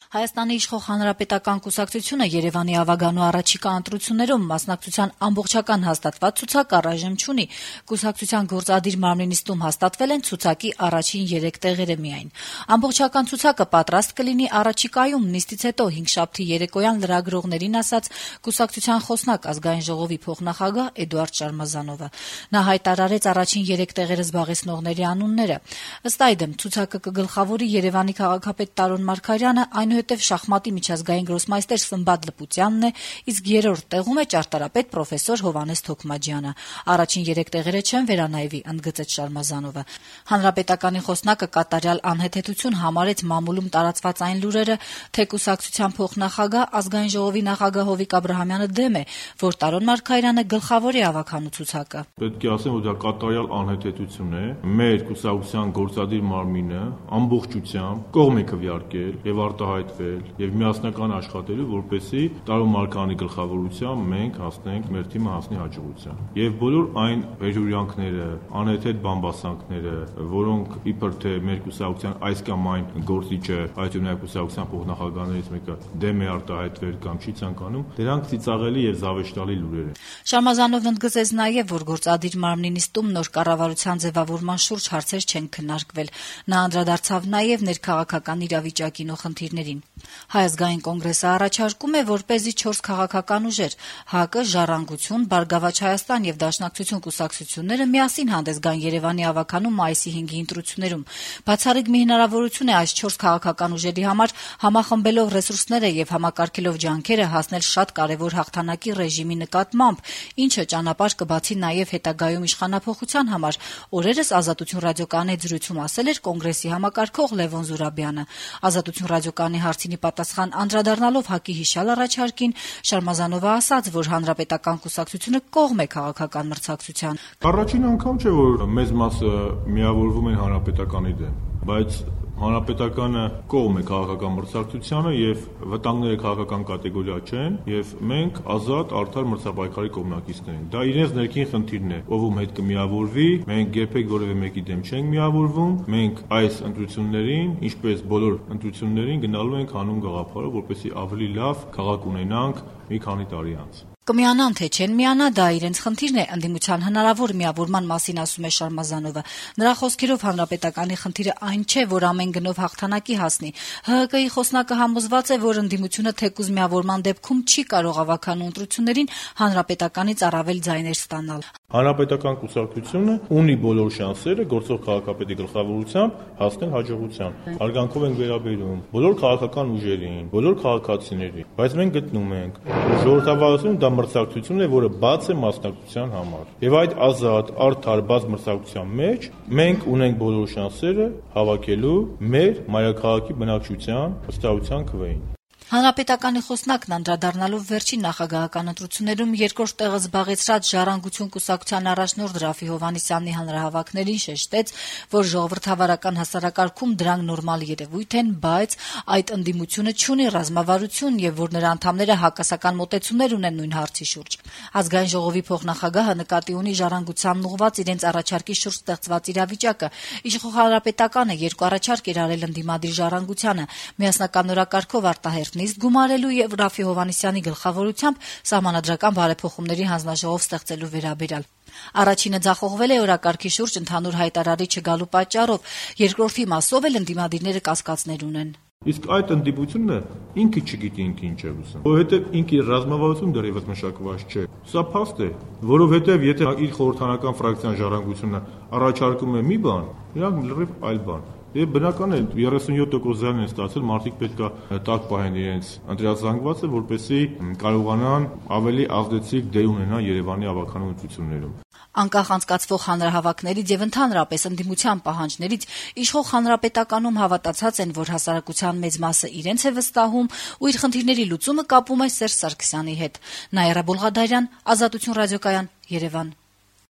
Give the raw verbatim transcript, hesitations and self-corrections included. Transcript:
Հայաստանի իշխող Հանրապետական կուսակցությունը Երևանի ավագանու առաջիկա ընտրություններում մասնակցության ամբողջական հաստատված ցուցակ առայժմ չունի։ Կուսակցության գործադիր մարմնի նիստում հաստատվել են ցուցակի առաջին երեք տեղերը միայն։ Ամբողջական ցուցակը պատրաստ կլինի առաջիկայում, նիստից հետո հինգշաբթի երեկոյան լրագրողներին ասաց կուսակցության խոսնակ Ազգային ժողովի փոխնախագահ Էդուարդ Շարմազանովը։ Նա հայտարարեց առաջին երեք տեղերը զբաղեցնողների անունները։ Ըստ այդմ, ցուցակը կգլխավորի Երևանի քաղաքապետ Տարոն Մարգարյանը, այնուհետև շախմատի միջազգային գրոսմայստեր Սմբատ Լպուտյանն է, իսկ երրորդ տեղում է ճարտարապետ պրոֆեսոր Հովհաննես Թոքմաջյանը։ Առաջին երեք տեղերը չեն վերանայվի, ընդգծեց Շարմազանովը։ Հանրապետականի խոսնակը կատարյալ անհեթեթություն համարեց մամուլում տարածված այն լուրերը, թե կուսակցության փոխնախագահ Ազգային ժողովի նախագահ Հովիկ Աբրահամյանը դեմ է, որ Տարոն Մարգարյանը գլխավորի ավագանու ցուցակը։ Պետք է ասեմ, որ դա կատարյալ անհեթեթություն է։ Մեր կուսակցության գործադիր մարմինը ամբողջությամբ կողմ է քվեարկել եւ արտահայտվել եւ միասնական աշխատելու, որպեսզի Տարոն Մարգարյանի գլխավորությամբ մենք հասնենք մեր թիմը հասնի հաջողության։ Եվ բոլոր այն վերհյուրյանքները, անհեթեթ բամբասանքները, որոնք իբր թե մեր կուսակցության այս կամ այն գործիչը, այդ ունայն կուսակցության փոխնախագահներից մեկը դեմ է արտահայտվել կամ չի ցանկանում, դրանք ծիծաղելի եւ զավեշտալի լուրեր են։ Շարմազանովն ընդգծեց նաեւ, որ գործադիր մարմնի նիստում նոր կառավարության ձևավորման շուրջ հարցեր չեն քննարկվել։ Նա անդրադարձավ նաեւ ներքաղաքական իրավիճակին ու խնդիրներին։ Հայ ազգային կոնգրեսը առաջարկում է, որպեսզի չորս քաղաքական ուժեր՝ ՀԱԿ-ը, Ժառանգություն, Բարգավաճ Հայաստան եւ Դաշնակցություն կուսակցությունները միասին հանդես գան Երևանի ավագանու մայիսի հինգի ընտրություններում։ Բացառիկ մի հնարավորություն է այս չորս քաղաքական ուժերի համար համախմբելով ռեսուրսները եւ համակարգելով ջանքերը հասնել շատ կարեւոր հաղթանակի ռեժիմի նկատմամբ, ինչը ճանապարհ կբացի նաեւ հետագայում իշխանափոխության համար։ Օրերս Ազատություն ռադիոկայանի հետ զրույցում ասել էր կոնգրեսի համակարգող Լևոն Զուրաբյանը։ Ազատություն ռադիոկայանի հարցինի պատասխան անդրադառնալով ՀԱԿ-ի հիշյալ առաջարկին, Շարմազանովը ասաց, որ Հանրապետական կուսակցությունը կողմ է քաղաքական մրցակցության։ Առաջին անգամ չէ, որ մեծ մասը միավորվում են Հանրապետականի դեմ, բայց Հանրապետականը կողմ է քաղաքական մրցակցությանը եւ վտանգները քաղաքական կատեգորիա չեն եւ մենք ազատ արդար մրցապայքարի կողմնակիցներ ենք։ Դա իրենց ներքին խնդիրն է, ով ում հետ կմիավորվի, մենք երբեք որևէ մեկի դեմ չենք միավորվում, մենք այս ընտրություններին, ինչպես բոլոր ընտրություններին գնալու ենք հանուն գաղափարով, որպեսզի ավելի լավ քաղաք ունենանք մի քանի տարի անց։ Կմիանան թե չեն միանա, դա իրենց խնդիրն է, ընդդիմության հնարավոր միավորման մասին ասում է Շարմազանովը։ Նրա խոսքերով Հանրապետականի խնդիրը այն չէ, որ ամեն գնով հաղթանակի հասնի։ ՀՀԿ-ի խոսնակը համոզված է, որ ընդդիմությունը թեկուզ միավորման դեպքում չի կարող ավագանու ընտրություններին Հանրապետականից առավել ձայներ ստանալ։ Հանրապետական կուսակցությունը ունի բոլոր շանսերը գործող քաղաքապետի գլխավորությամբ հասնել հաջողության։ Հարգանքով ենք վերաբերում բոլոր քաղաքական ուժերին, բոլոր քաղաքացիներին, բայց մենք գտնում ենք, որ ժողովրդավարությունը դա մրցակցություն է, որը բաց է մասնակցության համար։ Եվ այդ ազատ, արդար, բաց մրցակցության մեջ մենք ունենք բոլոր շանսերը հավաքելու մեր մայրաքաղաքի բնակչության վստահության քվեին։ Հանրապետականի խոսնակն անդրադառնալով վերջին նախագահական ընտրություններում երկրորդ տեղը զբաղեցրած Ժառանգություն կուսակցության առաջնորդ Ռաֆի Հովհաննիսյանի հանրահավաքներին շեշտեց, որ ժողովրդավարական հասարակարգում դրանք նորմալ երևույթ են, բայց այդ ընդդիմությունը չունի ռազմավարություն եւ որ նրա անդամները հակասական մոտեցումներ ունեն նույն հարցի շուրջ։ Ազգային ժողովի փոխնախագահը նկատի ունի Ժառանգությանն ուղղված իրենց առաջարկի շուրջ ստեղծված իրավիճակը։ Իշխող Հանրապետականը երկու առաջարկ էր արել ընդդիմադիր Ժառանգությանը՝ միասնական օրակարգով արտահերթ նիստ գումարելու եւ Ռաֆի Հովհաննիսյանի գլխավորությամբ սահմանադրական բարեփոխումների հանձնաժողով ստեղծելու վերաբերյալ։ Առաջինը ձախողվել է օրակարգի շուրջ ընդհանուր հայտարարի չգալու պատճառով, երկրորդի մասով էլ ընդդիմադիրները կասկածներ ունեն։ Իսկ այդ ընդդիմությունը ինքը չգիտի ինքը ինչ է ուզում, որովհետև ինքի ռազմավարություն դեռևս մշակված չէ։ Սա փաստ է, որովհետև եթե իր խորհրդանական ֆրակցիան Ժառանգությունը առաջարկում է մի բան, իրանք լրիվ այլ բան։ Եվ բնական է երեսունյոթ տոկոս ձայն են ստացել, մարդիկ պետք է տակ պահեն իրենց ընտրազանգվածը, որպեսզի կարողանան ավելի ազդեցիկ դեր ունենան Երևանի ավագանու ընտրություններում։ Անկախ անցկացվող հանրահավաքներից եւ ընդհանրապես ընդդիմության պահանջներից իշխող Հանրապետականում հավատացած են, որ հասարակության մեծ մասը իրենց է վստահում ու իր խնդիրների լուծումը կապում է Սերժ Սարգսյանի հետ։ Նաիրա Բոլղադարյան, Ազատություն ռադիոկայան, Երևան։